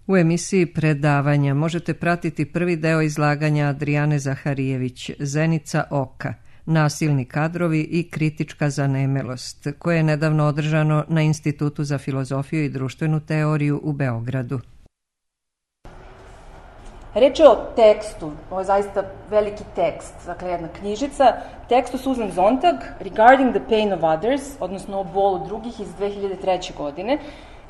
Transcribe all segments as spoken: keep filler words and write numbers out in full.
U emisiji Predavanja možete pratiti prvi deo izlaganja Adrijane Zaharijević, Zenica oka, nasilni kadrovi i kritička zanemelost, koje je nedavno održano na Institutu za filozofiju i društvenu teoriju u Beogradu. Reč je o tekstu, ovo je zaista veliki tekst, dakle jedna knjižica, tekstu Susan Sontag, Regarding the Pain of Others, odnosno o bolu drugih iz dve hiljade treće. godine,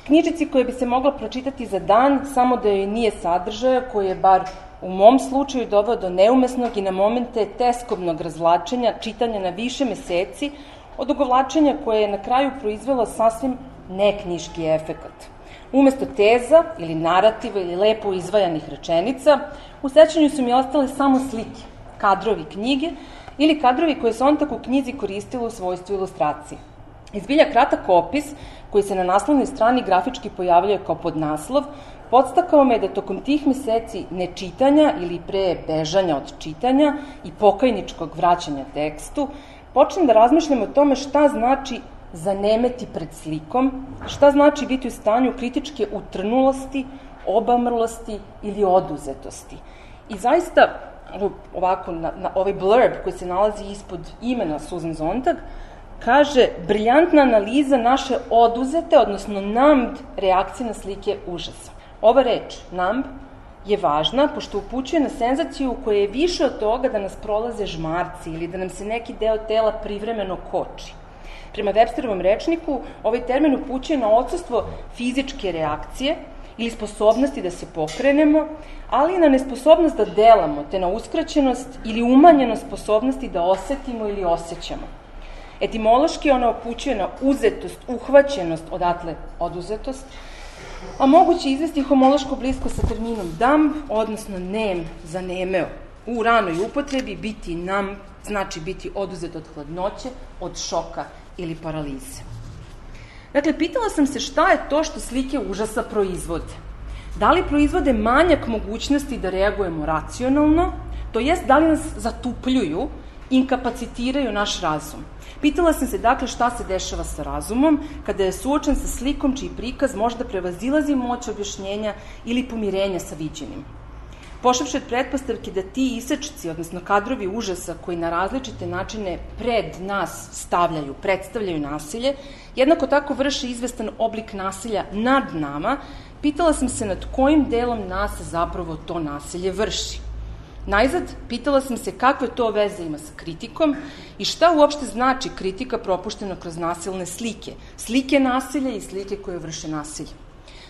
knjižici koja bi se mogla pročitati za dan, samo da joj nije sadržaja koji je bar u mom slučaju doveo do neumesnog i na momente teskobnog razvlačenja, čitanja na više meseci, odugovlačenja koje je na kraju proizvelo sasvim neknjiški efekat. Umesto teza ili narativa ili lepo izvajanih rečenica, u sećanju su mi ostale samo slike, kadrovi knjige ili kadrovi koje Sontag u knjizi koristila u svojstvu ilustracije. Izbilja kratak opis, koji se na naslovnoj strani grafički pojavljuje kao podnaslov, podstakao me da tokom tih meseci nečitanja ili pre bežanja od čitanja i pokajničkog vraćanja tekstu, počnem da razmišljam o tome šta znači zanemeti pred slikom, šta znači biti u stanju kritičke utrnulosti, obamrlosti ili oduzetosti. I zaista, ovako, na, na ovaj blurb koji se nalazi ispod imena Susan Sontag, kaže briljantna analiza naše oduzete, odnosno numbed reakcije na slike užasa. Ova reč, numb, je važna pošto upućuje na senzaciju koja je više od toga da nas prolaze žmarci ili da nam se neki deo tela privremeno koči. Prema Websterovom rečniku, ovaj termin upućuje na odsustvo fizičke reakcije ili sposobnosti da se pokrenemo, ali i na nesposobnost da delamo, te na uskraćenost ili umanjenost sposobnosti da osetimo ili osjećamo. Etimološki ona upućuje na uzetost, uhvaćenost, odatle oduzetost, a moguće izvesti homološko blisko sa terminom dumb, odnosno nem, zanemeo. U ranoj upotrebi biti numb znači biti oduzet od hladnoće, od šoka ili paralize. Dakle, pitala sam se šta je to što slike užasa proizvode. Da li proizvode manjak mogućnosti da reagujemo racionalno, to jest da li nas zatupljuju, inkapacitiraju naš razum. Pitala sam se dakle šta se dešava sa razumom kada je suočen sa slikom čiji prikaz možda prevazilazi moć objašnjenja ili pomirenja sa viđenim. Pošavši od pretpostavke da ti isečci, odnosno kadrovi užasa koji na različite načine pred nas stavljaju, predstavljaju nasilje, jednako tako vrše izvestan oblik nasilja nad nama, pitala sam se nad kojim delom nas zapravo to nasilje vrši. Najzad, pitala sam se kakve to veze ima sa kritikom i šta uopšte znači kritika propuštena kroz nasilne slike, slike nasilja i slike koje vrše nasilje.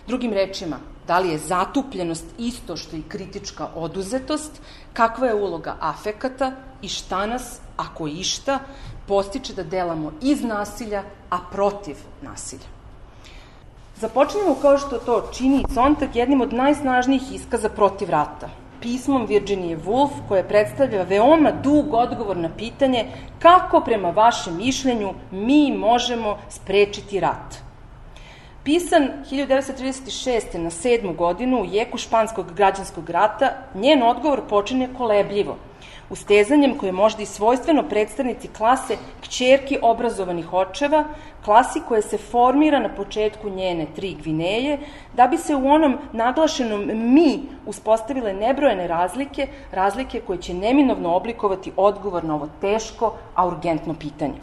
Drugim rečima, da li je zatupljenost isto što i kritička oduzetost, kakva je uloga afekata i šta nas, ako išta, postiče da delamo iz nasilja, a protiv nasilja. Započnemo kao što to čini Sontag jednim od najsnažnijih iskaza protiv rata, pismom Virginie Woolf, koje predstavlja veoma dug odgovor na pitanje kako prema vašem mišljenju mi možemo sprečiti rat. Pisan hiljadu devetsto trideset šeste. na sedmu godinu u jeku španskog građanskog rata, njen odgovor počinje kolebljivo, ustezanjem koje je možda i svojstveno predstavnici klase kćerki obrazovanih očeva, klasi koja se formira na početku njene tri Gvineje, da bi se u onom naglašenom mi uspostavile nebrojene razlike, razlike koje će neminovno oblikovati odgovor na ovo teško, a urgentno pitanje.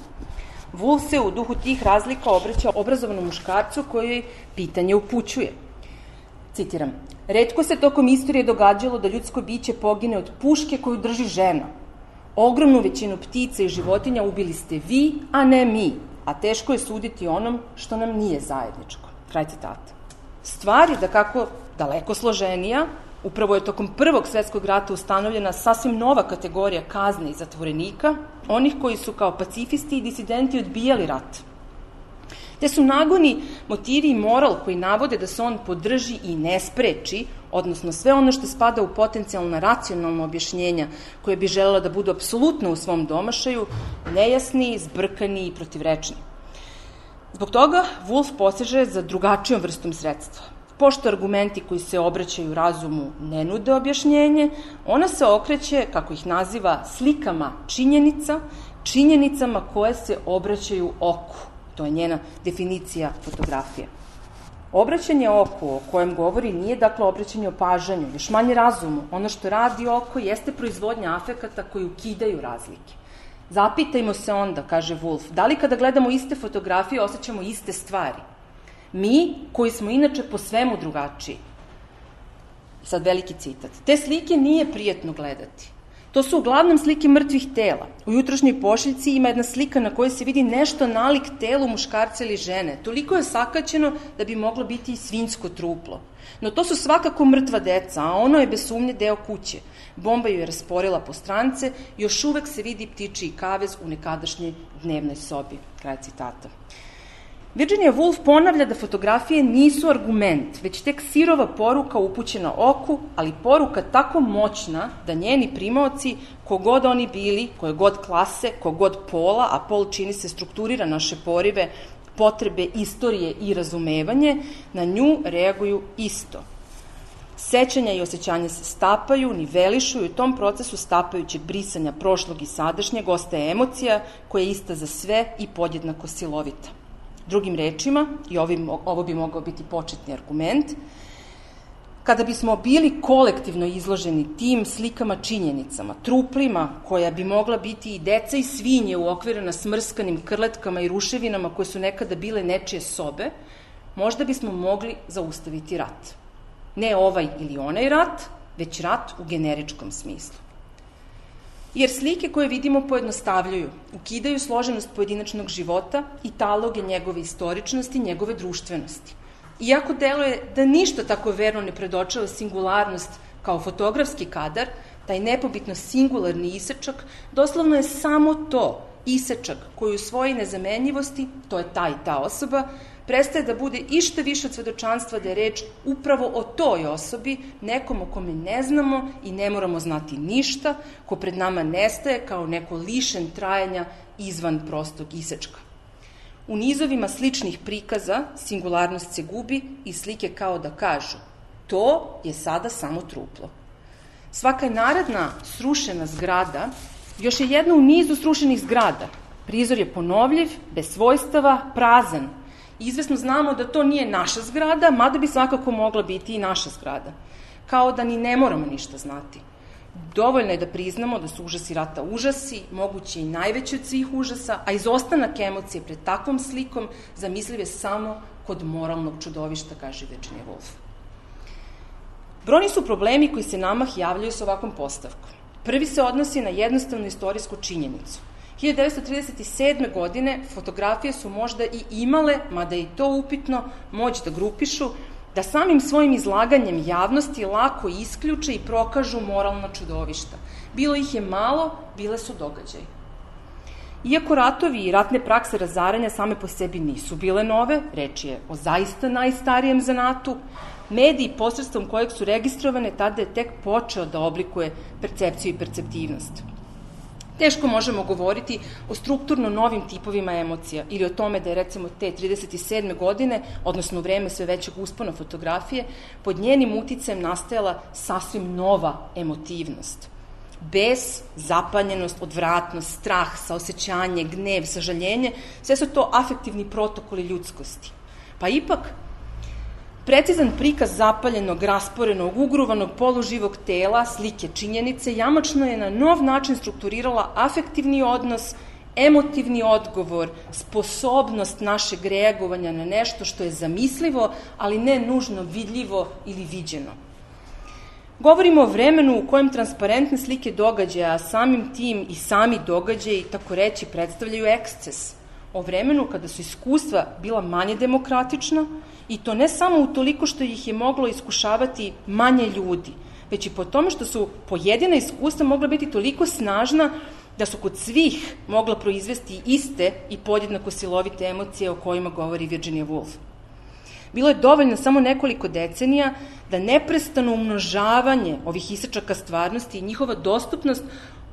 Woolf se u duhu tih razlika obraća obrazovanom muškarcu koji pitanje upućuje. Citiram, retko se tokom istorije događalo da ljudsko biće pogine od puške koju drži žena. Ogromnu većinu ptica i životinja ubili ste vi, a ne mi, a teško je suditi onom što nam nije zajedničko. Kraj citata. Stvar je da kako daleko složenija, upravo je tokom Prvog svetskog rata ustanovljena sasvim nova kategorija kazne i zatvorenika, onih koji su kao pacifisti i disidenti odbijali rat. Te su nagoni, motivi i moral koji navode da se on podrži i ne spreči, odnosno sve ono što spada u potencijalna racionalna objašnjenja koje bi želela da budu apsolutno u svom domašaju, nejasni, zbrkani i protivrečni. Zbog toga Woolf poseže za drugačijom vrstom sredstva. Pošto argumenti koji se obraćaju razumu ne nude objašnjenje, ona se okreće, kako ih naziva, slikama činjenica, činjenicama koje se obraćaju oku. To je njena definicija fotografije. Obraćanje oku o kojem govori nije dakle obraćanje opažanju, još manje razumu. Ono što radi oko jeste proizvodnja afekata koji ukidaju razlike. Zapitajmo se onda, kaže Woolf, da li kada gledamo iste fotografije osjećamo iste stvari? Mi, koji smo inače po svemu drugačiji. Sad veliki citat. Te slike nije prijetno gledati. To su uglavnom slike mrtvih tela. U jutrošnjoj pošiljci ima jedna slika na kojoj se vidi nešto nalik telu muškarca ili žene. Toliko je sakaćeno da bi moglo biti i svinjsko truplo. No to su svakako mrtva deca, a ono je bez sumnje deo kuće. Bomba ju je rasporila po strance, još uvek se vidi ptičiji kavez u nekadašnjoj dnevnoj sobi. Kraj citata. Virginia Woolf ponavlja da fotografije nisu argument, već tek sirova poruka upućena oku, ali poruka tako moćna da njeni primaoci, kogod oni bili, koje god klase, kogod pola, a pol čini se strukturira naše porive, potrebe, istorije i razumevanje, na nju reaguju isto. Sećanja i osjećanja se stapaju, nivelišu i u tom procesu stapajućeg brisanja prošlog i sadašnjeg ostaje emocija koja je ista za sve i podjednako silovita. Drugim rečima, i ovim, ovo bi mogao biti početni argument, kada bismo bili kolektivno izloženi tim slikama činjenicama, truplima koja bi mogla biti i deca i svinje uokvirena smrskanim krletkama i ruševinama koje su nekada bile nečije sobe, možda bismo mogli zaustaviti rat. Ne ovaj ili onaj rat, već rat u generičkom smislu. Jer slike koje vidimo pojednostavljuju, ukidaju složenost pojedinačnog života i taloge njegove istoričnosti, njegove društvenosti. Iako deluje da ništa tako verno ne predočava singularnost kao fotografski kadar, taj nepobitno singularni isečak doslovno je samo to, isečak koji u svojoj nezamenjivosti, to je ta i ta osoba, prestaje da bude išta više od svedočanstva da je reč upravo o toj osobi, nekom o kome ne znamo i ne moramo znati ništa, ko pred nama nestaje kao neko lišen trajanja izvan prostog isečka. U nizovima sličnih prikaza singularnost se gubi i slike kao da kažu to je sada samo truplo. Svaka naredna srušena zgrada još je jedna u nizu srušenih zgrada. Prizor je ponovljiv, bez svojstava, prazan. Izvesno znamo da to nije naša zgrada, mada bi svakako mogla biti i naša zgrada. Kao da ni ne moramo ništa znati. Dovoljno je da priznamo da su užasi rata užasi, moguće i najveći od svih užasa, a izostanak emocije pred takvom slikom zamisliv je samo kod moralnog čudovišta, kaže Virginia Woolf. Brojni su problemi koji se namah javljaju s ovakvom postavkom. Prvi se odnosi na jednostavnu istorijsku činjenicu. hiljadu devetsto trideset sedme. godine fotografije su možda i imale, mada je i to upitno, moć da grupišu, da samim svojim izlaganjem javnosti lako isključe i prokažu moralna čudovišta. Bilo ih je malo, bile su događaji. Iako ratovi i ratne prakse razaranja same po sebi nisu bile nove, reč je o zaista najstarijem zanatu, mediji posredstvom kojeg su registrovane tada je tek počeo da oblikuje percepciju i perceptivnost. Teško možemo govoriti o strukturno novim tipovima emocija ili o tome da je recimo te trideset sedme. godine, odnosno u vreme sve većeg uspona fotografije, pod njenim uticajem nastajala sasvim nova emotivnost. Bes, zapanjenost, odvratnost, strah, saosećanje, gnev, sažaljenje, sve su to afektivni protokoli ljudskosti. Pa ipak, precizan prikaz zapaljenog, rasporenog, ugruvanog poluživog tela, slike činjenice, jamačno je na nov način strukturirala afektivni odnos, emotivni odgovor, sposobnost našeg reagovanja na nešto što je zamislivo, ali ne nužno vidljivo ili viđeno. Govorimo o vremenu u kojem transparentne slike događaja, a samim tim i sami događaji, tako reći, predstavljaju eksces. O vremenu kada su iskustva bila manje demokratična, i to ne samo u toliko što ih je moglo iskušavati manje ljudi, već i po tome što su pojedina iskustva mogla biti toliko snažna da su kod svih mogla proizvesti iste i podjednako silovite emocije o kojima govori Virginia Woolf. Bilo je dovoljno samo nekoliko decenija da neprestano umnožavanje ovih isečaka stvarnosti i njihova dostupnost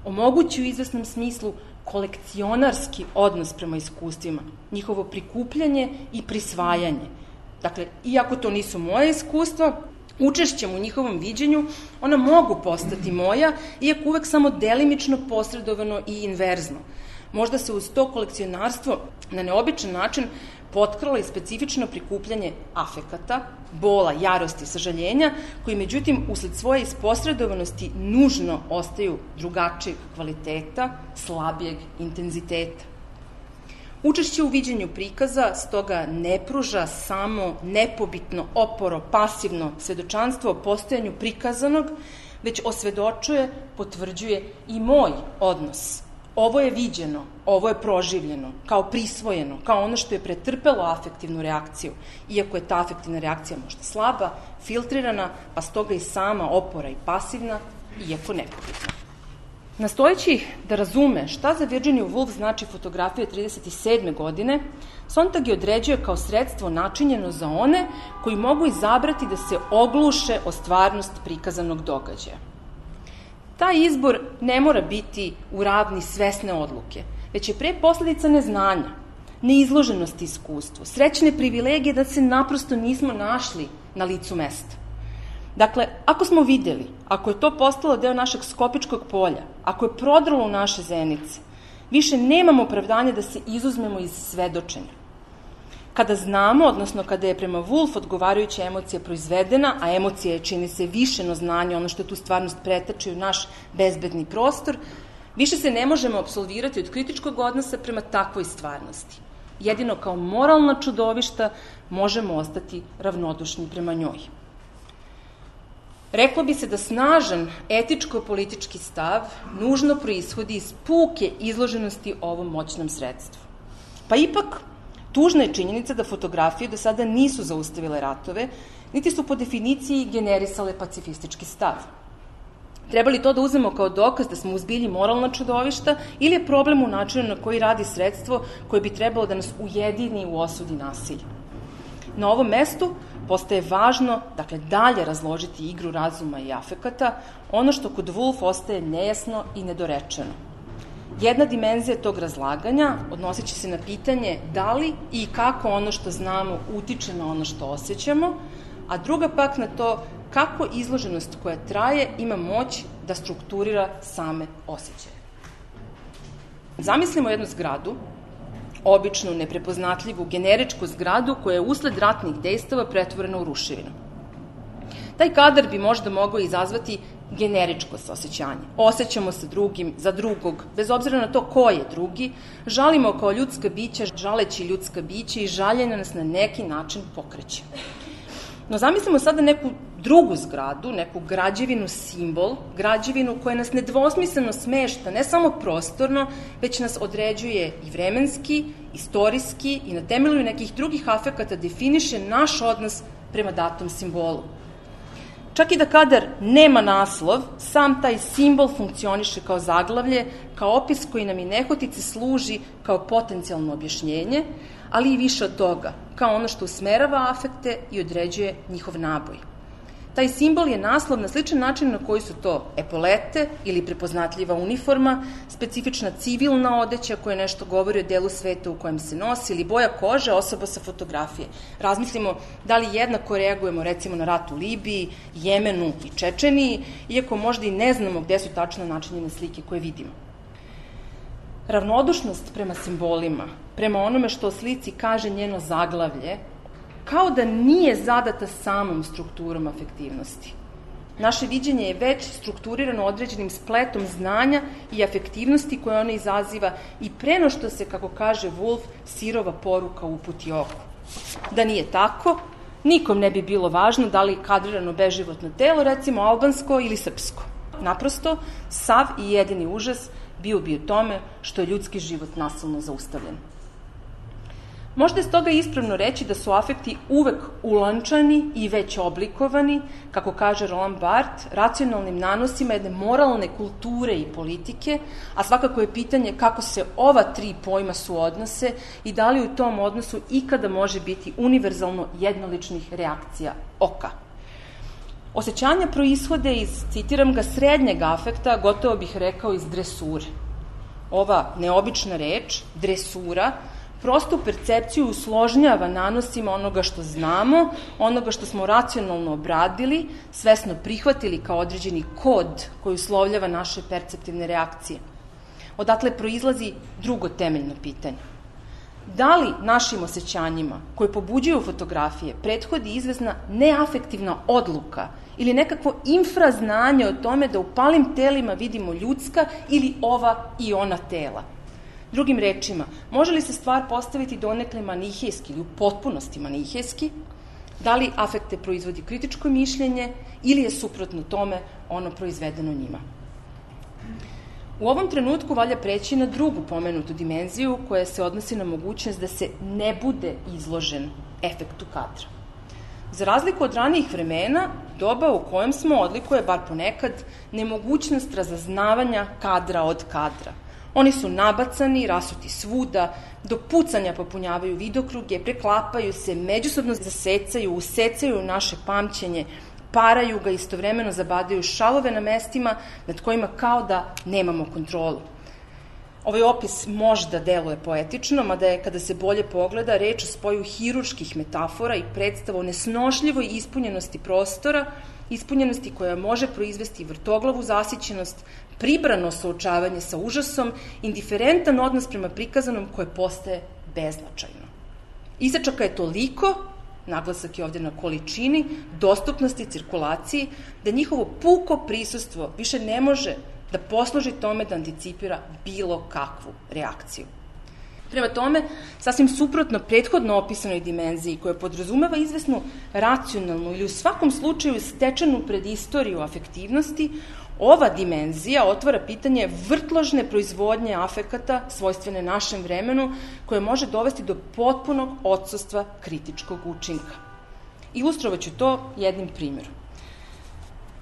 omogući u izvesnom smislu kolekcionarski odnos prema iskustvima, njihovo prikupljanje i prisvajanje. Dakle, iako to nisu moje iskustva, učešćem u njihovom viđenju ona mogu postati moja, iako uvek samo delimično posredovano i inverzno. Možda se uz to kolekcionarstvo na neobičan način potkralo i specifično prikupljanje afekata, bola, jarosti, sažaljenja, koji međutim usled svoje isposredovanosti nužno ostaju drugačijeg kvaliteta, slabijeg intenziteta. Učešće u viđenju prikaza stoga ne pruža samo nepobitno, oporo, pasivno svedočanstvo o postojanju prikazanog, već osvedočuje, potvrđuje i moj odnos. Ovo je viđeno, ovo je proživljeno, kao prisvojeno, kao ono što je pretrpelo afektivnu reakciju, iako je ta afektivna reakcija možda slaba, filtrirana, pa stoga i sama opora i pasivna, iako nepobitna. Nastojeći da razume šta za Virginia Woolf znači fotografija trideset sedme godine, Sontag je određuje kao sredstvo načinjeno za one koji mogu izabrati da se ogluše o stvarnost prikazanog događaja. Taj izbor ne mora biti u ravni svesne odluke, već je pre posledica neznanja, neizloženosti iskustvu, srećne privilegije da se naprosto nismo našli na licu mesta. Dakle, ako smo videli, ako je to postalo deo našeg skopičkog polja, ako je prodralo u naše zenice, više nemamo opravdanja da se izuzmemo iz svedočenja. Kada znamo, odnosno kada je prema Woolf odgovarajuća emocija proizvedena, a emocija je, čini se, višeno znanje, ono što tu stvarnost pretače u naš bezbedni prostor, više se ne možemo apsolvirati od kritičkog odnosa prema takvoj stvarnosti. Jedino kao moralna čudovišta možemo ostati ravnodušni prema njoj. Reklo bi se da snažan etičko-politički stav nužno proishodi iz puke izloženosti ovom moćnom sredstvu. Pa ipak, tužna je činjenica da fotografije do sada nisu zaustavile ratove, niti su po definiciji generisale pacifistički stav. Treba li to da uzmemo kao dokaz da smo uzbilji moralna čudovišta ili je problem u načinu na koji radi sredstvo koje bi trebalo da nas ujedini u osudi nasilja? Na ovom mestu postaje važno, dakle, dalje razložiti igru razuma i afekata, ono što kod Woolf ostaje nejasno i nedorečeno. Jedna dimenzija tog razlaganja odnosit će se na pitanje da li i kako ono što znamo utiče na ono što osjećamo, a druga pak na to kako izloženost koja traje ima moć da strukturira same osjećaje. Zamislimo jednu zgradu, običnu, neprepoznatljivu, generičku zgradu koja je usled ratnih dejstava pretvorena u ruševinu. Taj kadar bi možda mogao izazvati generičko saosećanje. Osjećamo se drugim, za drugog, bez obzira na to ko je drugi, žalimo kao ljudska bića, žaleći ljudska bića i žaljenje nas na neki način pokreće. No zamislimo sada neku drugu zgradu, neku građevinu simbol, građevinu koja nas nedvosmisleno smešta, ne samo prostorno, već nas određuje i vremenski, istorijski i na temelju nekih drugih afekata definiše naš odnos prema datom simbolu. Čak i da kadar nema naslov, sam taj simbol funkcioniše kao zaglavlje, kao opis koji nam i nehotice služi kao potencijalno objašnjenje, ali i više od toga, kao ono što usmerava afekte i određuje njihov naboj. Taj simbol je naslov na sličan način na koji su to epolete ili prepoznatljiva uniforma, specifična civilna odeća koja nešto govori o delu sveta u kojem se nosi ili boja kože osoba sa fotografije. Razmislimo da li jednako reagujemo recimo na rat u Libiji, Jemenu i Čečeniji, iako možda i ne znamo gde su tačno načinjene slike koje vidimo. Ravnodušnost prema simbolima, prema onome što o slici kaže njeno zaglavlje, kao da nije zadata samom strukturom afektivnosti. Naše viđenje je već strukturirano određenim spletom znanja i afektivnosti koje ona izaziva i preno što se, kako kaže Woolf, sirova poruka uputi oku. Da nije tako, nikom ne bi bilo važno da li kadrirano beživotno telo, recimo albansko ili srpsko. Naprosto, sav i jedini užas bio bi u tome što je ljudski život nasilno zaustavljen. Možda je stoga ispravno reći da su afekti uvek ulančani i već oblikovani, kako kaže Roland Barthes, racionalnim nanosima jedne moralne kulture i politike, a svakako je pitanje kako se ova tri pojma suodnose i da li u tom odnosu ikada može biti univerzalno jednoličnih reakcija oka. Osećanja proishode iz, citiram ga, srednjeg afekta, gotovo bih rekao iz dresure. Ova neobična reč, dresura, prostu percepciju usložnjava nanosima onoga što znamo, onoga što smo racionalno obradili, svesno prihvatili kao određeni kod koji uslovljava naše perceptivne reakcije. Odatle proizlazi drugo temeljno pitanje. Da li našim osjećanjima koje pobuđuju fotografije prethodi izvesna neafektivna odluka ili nekakvo infraznanje o tome da u palim telima vidimo ljudska ili ova i ona tela? Drugim rečima, može li se stvar postaviti donekle manihejski ili u potpunosti manihejski? Da li afekte proizvodi kritičko mišljenje ili je suprotno tome ono proizvedeno njima? U ovom trenutku valja preći na drugu pomenutu dimenziju koja se odnosi na mogućnost da se ne bude izložen efektu kadra. Za razliku od ranijih vremena, doba u kojem smo odlikuje, bar ponekad, nemogućnost razaznavanja kadra od kadra. Oni su nabacani, rasuti svuda, do pucanja popunjavaju vidokruge, preklapaju se, međusobno zasecaju, usecaju naše pamćenje, paraju ga, istovremeno zabadaju šalove na mestima nad kojima kao da nemamo kontrolu. Ovaj opis možda deluje poetično, mada je, kada se bolje pogleda, reč o spoju hirurških metafora i predstava o nesnošljivoj ispunjenosti prostora, ispunjenosti koja može proizvesti vrtoglavu zasićenost, pribrano suočavanje sa užasom, indiferentan odnos prema prikazanom koje postaje beznačajno. Isačaka je toliko, naglasak je ovde na količini, dostupnosti, cirkulaciji, da njihovo puko prisustvo više ne može da posluži tome da anticipira bilo kakvu reakciju. Prema tome, sasvim suprotno prethodno opisanoj dimenziji koja podrazumeva izvesnu racionalnu ili u svakom slučaju stečenu predistoriju afektivnosti, ova dimenzija otvara pitanje vrtložne proizvodnje afekata svojstvene našem vremenu koje može dovesti do potpunog odsustva kritičkog učinka. Ilustrovaću to jednim primjerom.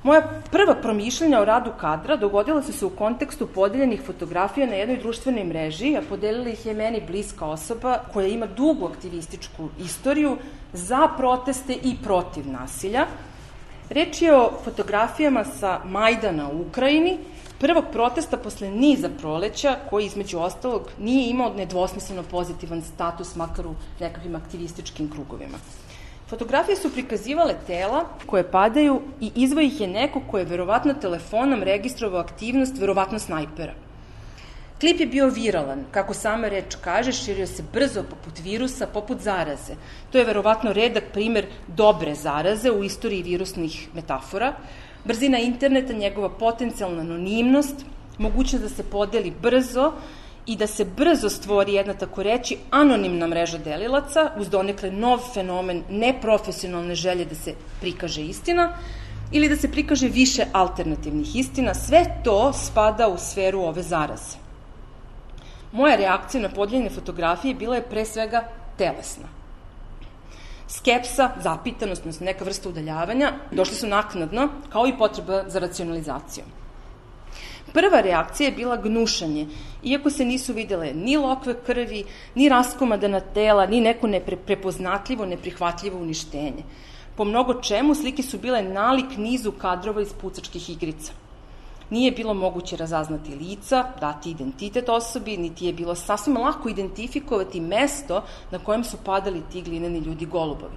Moja prva promišljanja o radu kadra dogodila su se u kontekstu podeljenih fotografija na jednoj društvenoj mreži, a podelila ih je meni bliska osoba koja ima dugu aktivističku istoriju za proteste i protiv nasilja. Reč je o fotografijama sa Majdana u Ukrajini, prvog protesta posle niza proleća, koji između ostalog nije imao nedvosmisleno pozitivan status, makar u nekakvim aktivističkim krugovima. Fotografije su prikazivale tela koje padaju i izveo ih je neko ko je verovatno telefonom registrovao aktivnost, verovatno snajpera. Klip je bio viralan, kako sama reč kaže, širio se brzo poput virusa, poput zaraze. To je verovatno redak primer dobre zaraze u istoriji virusnih metafora. Brzina interneta, njegova potencijalna anonimnost, mogućnost da se podeli brzo i da se brzo stvori jedna, tako reći, anonimna mreža delilaca, uz donekle nov fenomen neprofesionalne želje da se prikaže istina ili da se prikaže više alternativnih istina, sve to spada u sferu ove zaraze. Moja reakcija na podeljene fotografije bila je pre svega telesna. Skepsa, zapitanost, odnosno neka vrsta udaljavanja, došli su naknadno, kao i potreba za racionalizacijom. Prva reakcija je bila gnušanje, iako se nisu videle ni lokve krvi, ni raskomadana tela, ni neko neprepoznatljivo, neprihvatljivo uništenje. Po mnogo čemu slike su bile nalik nizu kadrova iz pucačkih igrica. Nije bilo moguće razaznati lica, dati identitet osobi, niti je bilo sasvim lako identifikovati mesto na kojem su padali ti glineni ljudi golubovi.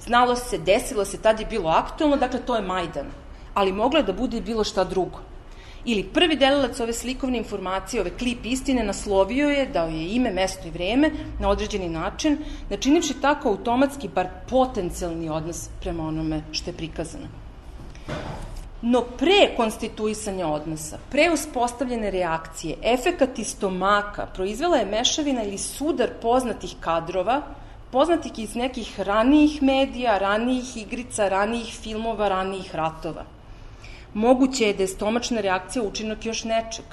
Znalo se, desilo se, tad je bilo aktualno, dakle to je Majdan, ali moglo je da bude i bilo šta drugo. Ili prvi delilac ove slikovne informacije, ove klip istine, naslovio je, dao je ime, mesto i vreme na određeni način, načinivši tako automatski, bar potencijalni odnos prema onome što je prikazano. No pre konstituisanja odnosa, pre uspostavljene reakcije, efekat iz stomaka proizvela je mešavina ili sudar poznatih kadrova, poznatih iz nekih ranijih medija, ranijih igrica, ranijih filmova, ranijih ratova. Moguće je da je stomačna reakcija učinak još nečeg.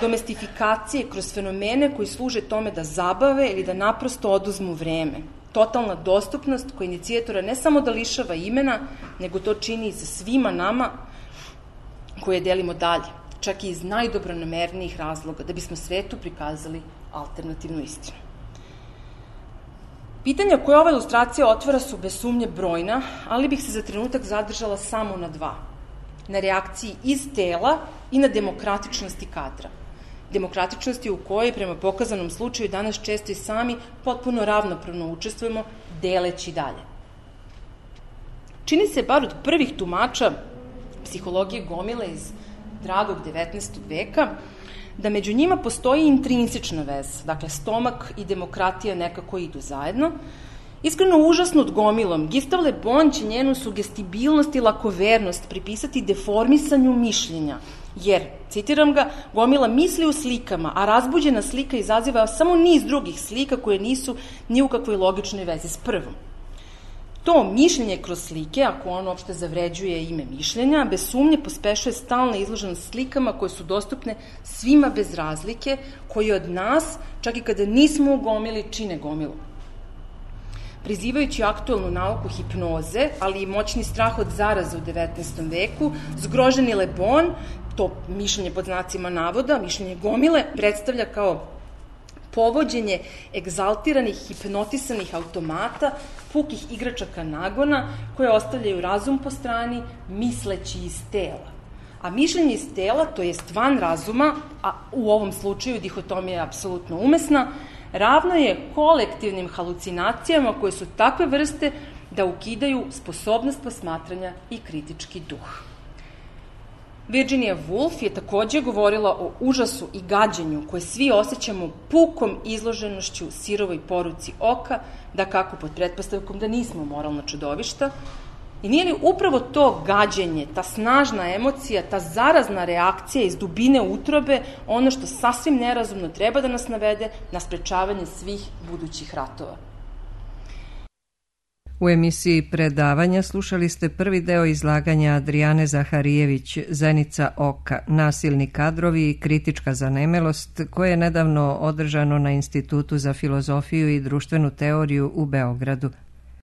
Domestifikacije kroz fenomene koji služe tome da zabave ili da naprosto oduzmu vreme. Totalna dostupnost koja inicijatora ne samo da lišava imena, nego to čini i sa svima nama koje delimo dalje, čak i iz najdobronamernijih razloga, da bismo svetu prikazali alternativnu istinu. Pitanja koje ova ilustracija otvara su bez sumnje brojna, ali bih se za trenutak zadržala samo na dva. Na reakciji iz tela i na demokratičnosti kadra. Demokratičnosti u kojoj, prema pokazanom slučaju, danas često i sami potpuno ravnopravno učestvujemo, deleći dalje. Čini se, bar od prvih tumača psihologije gomile iz dragog devetnaestog veka, da među njima postoji intrinsična veza, dakle stomak i demokratija nekako idu zajedno. Iskreno užasnut gomilom, Gustave Le Bon će njenu sugestibilnost i lakovernost pripisati deformisanju mišljenja, jer, citiram ga, gomila misli u slikama, a razbuđena slika izaziva samo niz drugih slika koje nisu ni u kakvoj logičnoj vezi s prvom. To mišljenje kroz slike, ako on uopšte zavređuje ime mišljenja, bez sumnje pospešuje stalna izloženost slikama koje su dostupne svima bez razlike, koji od nas, čak i kada nismo u gomili, čine gomilu. Prizivajući aktuelnu nauku hipnoze, ali i moćni strah od zaraze u devetnaestom veku, zgroženi Le Bon, to mišljenje pod znacima navoda, mišljenje gomile, predstavlja kao povođenje egzaltiranih, hipnotisanih automata, pukih igračaka nagona, koje ostavljaju razum po strani, misleći iz tela. A mišljenje iz tela, to jest van razuma, a u ovom slučaju dihotomija je apsolutno umesna, ravno je kolektivnim halucinacijama koje su takve vrste da ukidaju sposobnost posmatranja i kritički duh. Virginia Woolf je takođe govorila o užasu i gađenju koje svi osjećamo pukom izloženošću sirovoj poruci oka, da kako pod pretpostavkom da nismo moralna čudovišta. I nije li upravo to gađenje, ta snažna emocija, ta zarazna reakcija iz dubine utrobe ono što sasvim nerazumno treba da nas navede na sprečavanje svih budućih ratova? U emisiji Predavanja slušali ste prvi deo izlaganja Adrijane Zaharijević, Zenica oka, nasilni kadrovi i kritička zanemelost, koje je nedavno održano na Institutu za filozofiju i društvenu teoriju u Beogradu.